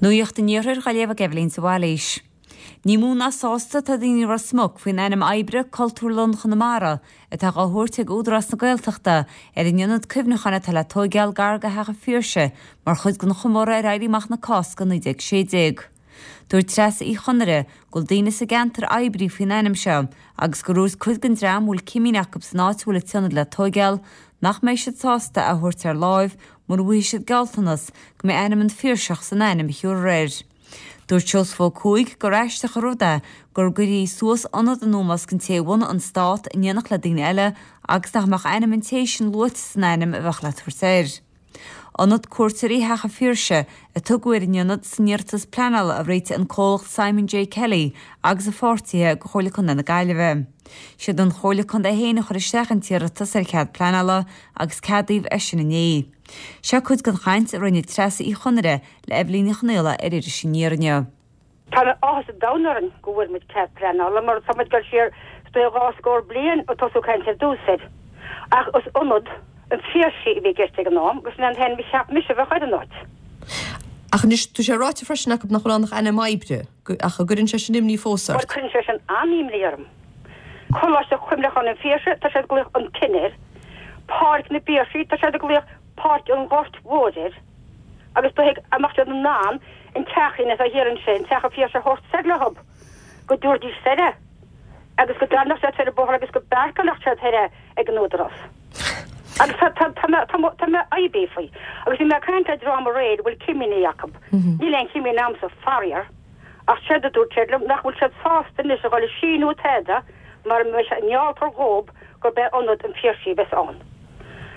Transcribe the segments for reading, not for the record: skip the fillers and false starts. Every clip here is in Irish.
Nuacht an Iarthair á léamh ag Eibhlín de Bhailís. Ní mó ná sásta atá daoine i Ros Muc faoin ainm oibre 'Cultúrlann Chonamara' atá dhá thabhairt ag Údarás na Gaeltachta ar an ionad cuimhneacháin atá le tóigeáil gar do Theach an Phiarsaigh mar chuid den chomóradh ar Éirí Amach na Cásca 1916. Dúirt Treasa Uí Chonaire go bhfuil daoine sa gceantar oibrithe faoin ainm seo agus gur dhúirt cuid den dream a bhfuil cimín acu san áit a bhfuil an t-ionad le tóigeáil nach mbeidh siad sásta é a thabhairt ar láimh mura bhfaighidh siad gealltanas go mbeidh ainm an Phiarsach san ainm a thiúrfar air. Dúirt Seosamh Ó Cuaig gur aisteach an rud é gur gcuirfí suas ionad in ómós don té a bhunaigh an stát in éineacht le daoine eile agus nach mbeadh ainm an té sin luaite san ainm a bheadh le tabhairt air. Ionad Cuairteoirí Theach an Phiarsaigh a tugadh ar an ionad san iarratas pleanála a réitigh an comhlacht Simon J Kelly agus a pháirtithe do Chomhairle Contae na Gaillimhe. Siad an Chomhairle Contae féin a chuir isteach an t-iarratas ar chead pleanála agus ceadaíodh é sin inné. Seo cuid den chaint a rinne Treasa Uí Chonaire le Eibhlín Ní Chonaola ar Iris Aniar inniu. Tá áthas an domhain orainn go bhfuair muid cead pleanála mar tá muid ag dul siar is dóigh 20 scór bliain ó tosú caint ar dtús air. Ach is ionad an Phiarsaigh a bhí i gceist ag an am agus sin an t-ainm a cheap mise a bheadh ar an áit. Ach anois, tá sé ráite freisin acu nach bhfuil ann ach ainm oibre, ach an gcuireann sé sin imní fós ort? Bhuel, cuireann sé sin an-imní orm. Coláiste Chuimhneacháin an Phiarsaigh, tá siad ag glaoch an Tin air. Páirc na bPiarsaigh, tá siad ag glaoch Páirc an Ghoirt Mhóir air. Agus ba thuig a mbeadh siad in ann an teachín atá thiar ansin, Teach an Phiarsaigh a thabhairt soir leo, go dtabharfaidís soir é agus go dtarraingeodh siad soir an bóthar agus go bpáirceálfadh siad thoir é ag an Údarás. Agus tá, tá, tá mé, tá, tá mé oibrithe faoi. Agus bhí mé ag caint le dream aréir a bhfuil cimíní acu. Níl aon chimín a'msa, faraor. Ach séard a dúirt siad liom, nach bhfuil siad sásta anois a dhul ag síniú tada mara mbeidh sé, ngealltar dhób gurb é Ionad an Phiarsaigh a bheas ann.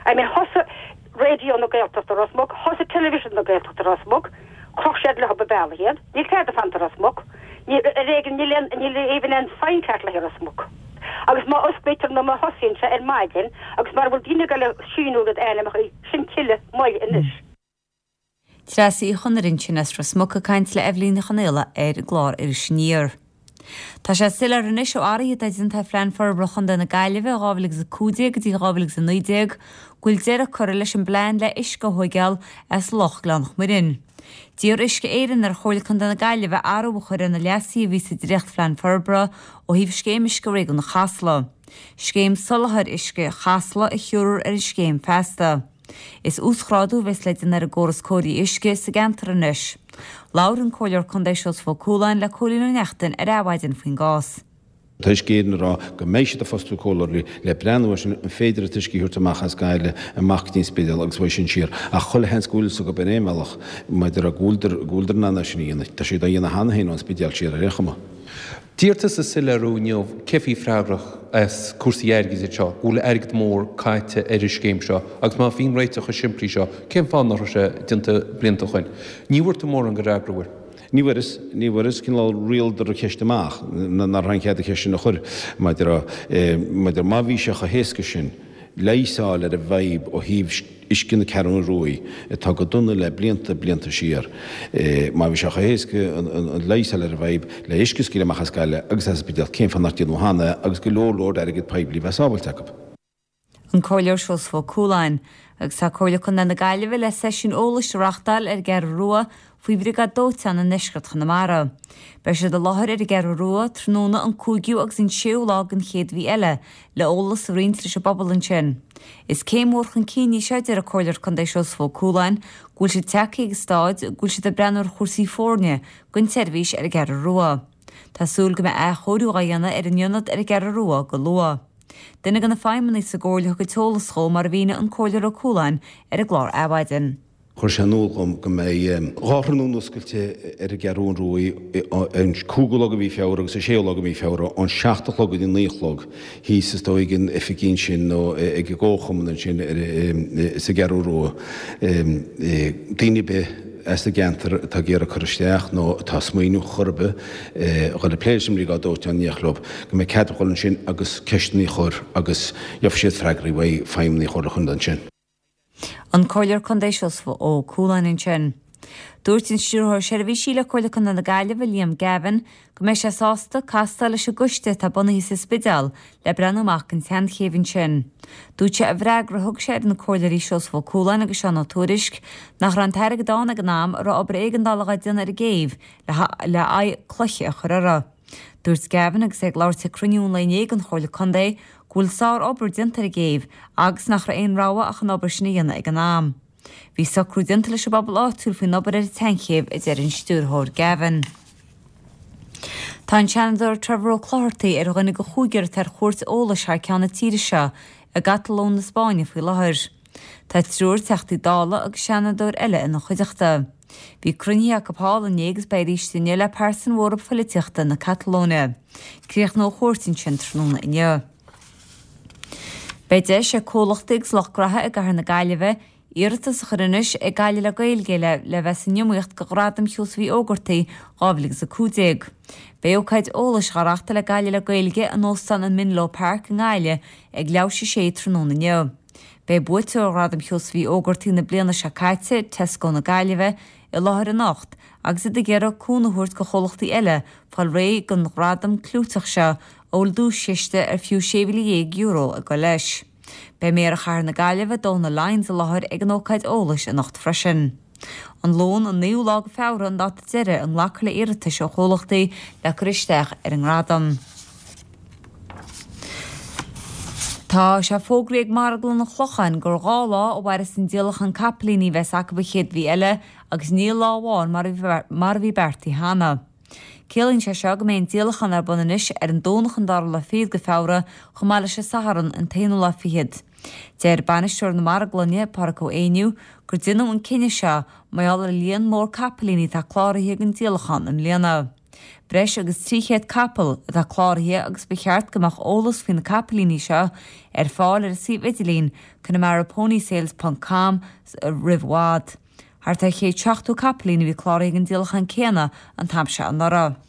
I mean thosaigh Raidió na Gaeltachta Ros Muc, thosaigh Television na Gaeltachta Ros Muc, chroch siad leo an bealach iad, níl tada fanta Ros Muc, níl, ar éigean, níl aon, níl even aon sign ceart le Ros Muc. Agus má osclaítear nó má thosaíonn sé ar maidin agus mara bhfuil daoine ag dul ag síniú a gcuid ainmneacha, sin tuilleadh moill anois. Treasa Uí Chonaire ansin as Ros Muc ag caint le Eibhlín Ní Chonaola ar an gclár Iris Aniar. Tá sé soiléir anois ó athruithe atá déanta ar Phlean Forbartha Chontae na Gaillimhe 2015 go dtí 2019 go bhfuil deireadh curtha leis an bplean le uisce a thóigeáil as Loch Ghleann Mhuirinn. D'iarr Uisce Éireann ar Chomhairle Contae na Gaillimhe athrú a chur ar na leasuithe a bhí sa dréachtphlean forbartha ó thaobh Scéim Uisce Réigiúnach Chasla. Scéim Soláthair Uisce Chasla a thiúrfar ar an scéim feasta. Is uasghrádú a bheas le déanamh ar an gcóras cóirithe uisce sa gceantar anois. Labhair an Comhairleoir Contae Seosamh Ó Cualáin le Cóilín Ó Neachtain ar Adhmhaidin faoin gcás. Tá Uisce Éireann ag rá go mbeidh siad ag fostú comhairleoirí le breathnú air sin, an féidir an t-uisce a thabhairt amach as Gaillimh, amach go dtí an Spidéal agus uaidh sin siar. Ach chuile sheans go bhfuil fhios acu ar aon bhealach, maidir go bhfuiltear, go bhfuiltear in ann é sin a dhéanamh. Tá siad á dhéanamh cheana féin ón Spidéal siar ar aon chuma. D'iarr tusa soiléiriú inniu cé bhí freagrach as cúrsaí airgid anseo, go bhfuil airgead mór caite ar an scéim seo agus má bhí an réiteach chomh simplí seo, cén fáth nach raibh sé déanta blianta ó shoin? Ní bhfuair tú mórán de fhreagra uair. Ní bhfuaireas, ní bhfuaireas, cineál rialadar an cheist amach, nach raibh aon chead an cheist sin a chur, maidir, maidir, má bhí sé chomh héasca sin leigheas a fháil ar an bhfadhb ó thaobh uisce na Ceathrún Ruaidh, atá go dona le blianta, blianta siar. Má bhí sé chomh héasca an leigheas a fháil ar an bhfadhb le uisce a scaoileadh amach as Gaillimh agus as an Spidéal, cén fáth nach déanadh cheana é agus go leor leor airgead poiblí a bheith sábhailte acu? An Comhairleoir Seosamh Ó Cualáin. Agus tá Comhairle Contae na Gaillimhe le seisiún eolais a reáchtáil ar an gCeathrú Rua faoi Bhriogáid Dóiteáin i ndeisceart Chonamara. Beidh siad i láthair ar an gCeathrú Rua tráthnóna an 5ú agus an 6ú lá den chéad mhí eile le eolas a roinnt leis an bpobal ansin. Is céim mhór chun cinn í seo, deir an Comhairleoir Contae Seosamh Ó Cualáin, go bhfuil siad tagtha ag an staid go bhfuil siad ag breathnú ar chúrsaí foirne don tseirbhís ar an gCeathrú Rua. Tá súil go mbeidh athchóiriú á dhéanamh ar an ionad ar an gCeathrú Rua go luath. Duine de na feidhmeannaigh sa gComhairle a thug an t-eolas dhó mar a mhínigh an Comhairleoir Ó Cualáin ar an gclár Adhmhaidin. Chuir sé in iúl dhom go mbeidh 2 thráthnóna oscailte ar an gCeathrú Ruaidh, an 5ú lá de mhí Feabhra agus an 6ú lá de mhí Feabhra, ón 7 a chlog go dtí 9 a chlog, thíos is dóigh ag an oifigí ansin nó ag an gComharchumann ansin sa gCeathrú Rua. Daoine ar bith as an gceantar atá ag iarraidh cur isteach nó atá ag smaoineamh chor ar bith a dhul ag plé leis an mBriogáid Dóiteáin in éineacht leo, go mbeidh cead a dhul ansin agus ceisteanna a chur agus gheobhaidh siad freagraí uaidh feidhmeannaigh Chomhairle Chontae ansin. An Comhairleoir Contae Seosamh Ó Cualáin ansin. Dúirt an Stiúrthóir Seirbhísí le Comhairle Contae na Gaillimhe, Liam Gavin, go mbeidh sé sásta castáil leis an gcoiste atá bunaithe sa Spidéal le breathnú amach don tseanchéibh ansin. Dúirt sé i bhfreagra a thug sé ar na Comhairleoirí Seosamh Ó Cualáin agus Seán Ó Tuairisg nach raibh an t-airgead ann ag an am a raibh obair éigeandála dhá déanamh ar an gcéibh le aghaidh cloiche a chur uirthi. Dúirt Gavin agus é ag labhairt ag cruinniú an lae inné den Chomhairle Contae go bhfuil sár-obair déanta ar an gcéibh agus nach raibh aon rogha ach an obair sin a dhéanamh ag an am. Bhí socrú déanta leis an bpobal áitiúil faoin obair ar an tseanchéibh, a deir an Stiúrthóir Gavin. Tá an Seanadóir Trevor Ó Clochartaigh ar dhuine de chúigear atá ar chuairt eolais thar ceann na tíre seo i gCatalóin na Spáinne faoi láthair. Tá triúr Teachtaí Dála agus Seanadóir eile ina chuideachta. Bhí cruinnithe acu thall inné agus beidh arís inniu le pearsain mhóra pholaitíochta na Catalóine. Críochnóidh an chuairt ansin tráthnóna inniu. Beidh deis ag comhlachtaí agus lucht graithe i gcathair na Gaillimhe iarratas a chur anois ag Gaillimh le Gaeilge le le bheith san iomaíocht do Ghradam Sheosaimh Uí Ógartaigh 2015. Beidh ócáid eolais á reáchtáil ag Gaillimh le Gaeilge in Óstán an Menlo Park i nGaillimh ag leathuair tar éis a sé tráthnóna inniu. Beidh buaiteoir Ghradam Sheosaimh Uí Ógartaigh na bliana seo caite, Tesco na Gaillimhe, i láthair anocht agus iad ag iarraidh cúnamh a thabhairt do chomhlachtaí eile fáil réidh don ghradam clúiteach seo a bhfuil duaischiste ar fiú €16,000 ag dul leis. Beidh Méara Chathair na Gaillimhe, Donal Lyons i láthair ag an ócáid eolais anocht freisin. An Luan an 9ú lá de Feabhra an dáta deiridh a nglacfar le iarratais ó chomhlachtaí le cur isteach ar an ngradam. Tá sé fógraithe ag Marglann an Chlocháin gur 2 lá a mhairfeas an díolachán capaillíní a bheas acu an chéad mhí eile agus ní lá amháin mar a bhí beartaithe cheana. Ciallaíonn sé seo go mbeidh an díolachán ar bun anois ar an Domhnach an dara lá fichead de Feabhra chomh maith leis an Satharn an t-aonú lá fichead. Deir bainisteoir na marglainne, Pádraic Ó Éinniú, gur deineadh an cinneadh seo mar gheall ar an líon mór capaillíní atá cláraithe don díolachán i mbliana. Breis agus 300 capall atá cláraithe agus ba cheart go mbeadh eolas faoi na capaillíní seo ar fáil ar an suíomh idirlín connemaraponysales ponc com roimh i bhfad. Thart ar 170 capaillín a bhí cláraithe don díolachán céanna an t-am seo anuraidh.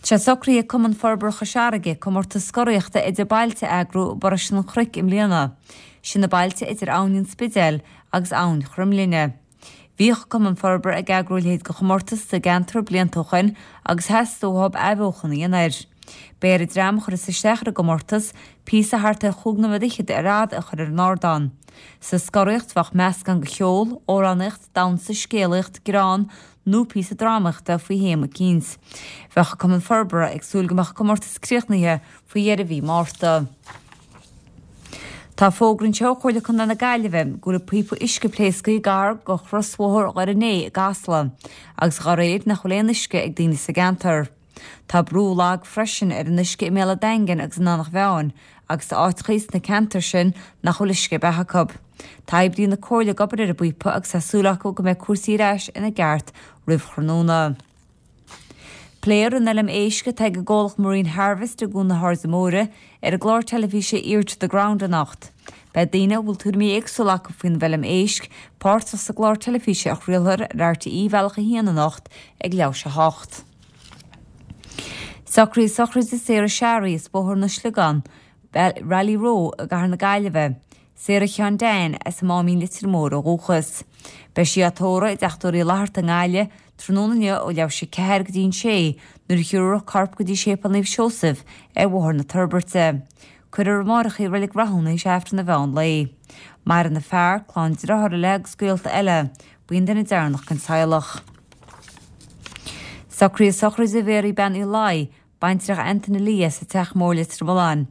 Tá sé socraithe ag Cumann Forbartha Chois Fharraige comórtas scoraíochta idir bailte a eagrú i bparóiste an Chnoic i mbliana. Sin na bailte idir Abhainn an Spidéil agus Abhainn Chroimghlinne. Bhíodh Cumann Forbartha ag eagrú a leithéid de chomórtas sa gceantar blianta ó shoin agus theastaigh uathu athbheochan a dhéanamh air. Beidh ar an dream a chuirfeas isteach ar an gcomórtas píosa thart ar chúig nóiméad fhichead ar fhad a chur ar an ardán. Sa scoraíocht bheadh meascán de cheol, amhránaíocht, damhsa, scéalaíocht, greann nó píosa drámaíochta faoi théama eicínt. Bheadh an Cumann Forbartha ag súil go mbeadh an comórtas críochnaithe faoi dheireadh mhí Márta. Tá fógra anseo ó Chomhairle Contae na Gaillimhe go bhfuil píopa uisce pléasctha gar do chrosbhóthar Dhoire an Fhéich i gCasla agus dá réir nach bhfuil aon uisce ag daoine sa gceantar. Tá brú lag freisin ar an uisce i mBéal an Daingin agus in Eanach Mheáin agus tá áiteachaí sna ceantair sin nach bhfuil uisce ar bith acu. Tá oibrithe na Comhairle ag obair ar an bpíopa agus tá súil acu go mbeidh cúrsaí ar ais ina gceart roimh thráthnóna. Pléifear an fheilm éisc atá ag an gcomhlacht Marine Harvest i gCuan na hAirde Móire ar an gclár teilifíse Ear to the Ground anocht. Beidh daoine a bhfuil tuairimí éagsúla acu faoin bhfeilm éisc páirteach sa gclár teilifíse a chraolfar ar RTÉ Bealach 1 anocht ag leathuair tar éis a hocht. Socruithe sochraide Sarah Sharry as Bóthar na Sliogán, Raleigh Row i gCathair na Gaillimhe, Sarah Sheáin Dan as an Máimín Leitir Móir ó dhúchas. Beidh sí á tórramh i dTeach Tórraimh Uí Fhlatharta i nGaillimh tráthnóna inniu ó leathuair tar éis a ceathair go dtí an sé nuair a thiúrfar a corp go dtí Séipéal Naomh Seosamh ar Bhóthar na Toirbeirte. Cuirfear amáireach í i Reilig Rathúin théis Aifreann an mheán lae. Maireann a fear, clann dearthára léi agus gaolta eile. Ba í an duine deireanach den teaghlach. Socruithe sochraide Mhéaraí Bean Uí Laoi, baintreach Antaine Lee as an Teach Mór Leitir Mealláin.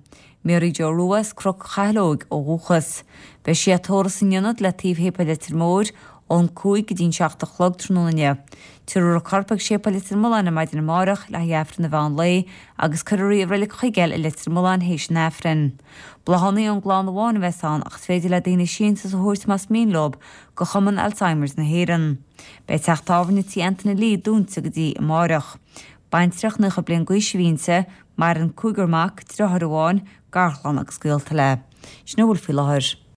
Mary Joe Rua as Cnoc Chathail Óig ó dhúchas. Beidh sí á tórramh san Ionad le taobh Shéipéal Leitir Móir ón 5 go dtí an 7 a chlog tráthnóna inniu. Tabharfar a corp ag Séipéal Leitir Mealláin ar maidin amáireach le haghaidh Aifreann an mheán lae agus cuirfear í i Reilig Chuigéil i Leitir Mealláin théis an Aifrinn. Bláthanna ón gclann amháin a bheas ann ach is féidir le daoine síntiús a thabhairt más mian leo go Chumann Alzheimer's na hÉireann. Beidh teach tábhairne Tí Antaine Lee dúnta go dtí amáireach. Baintreach 90 bliain d'aois a bhí inti, maireann cúigear mac, deartháir amháin, garchlann agus gaolta léi. Sin a bhfuil faoi láthair.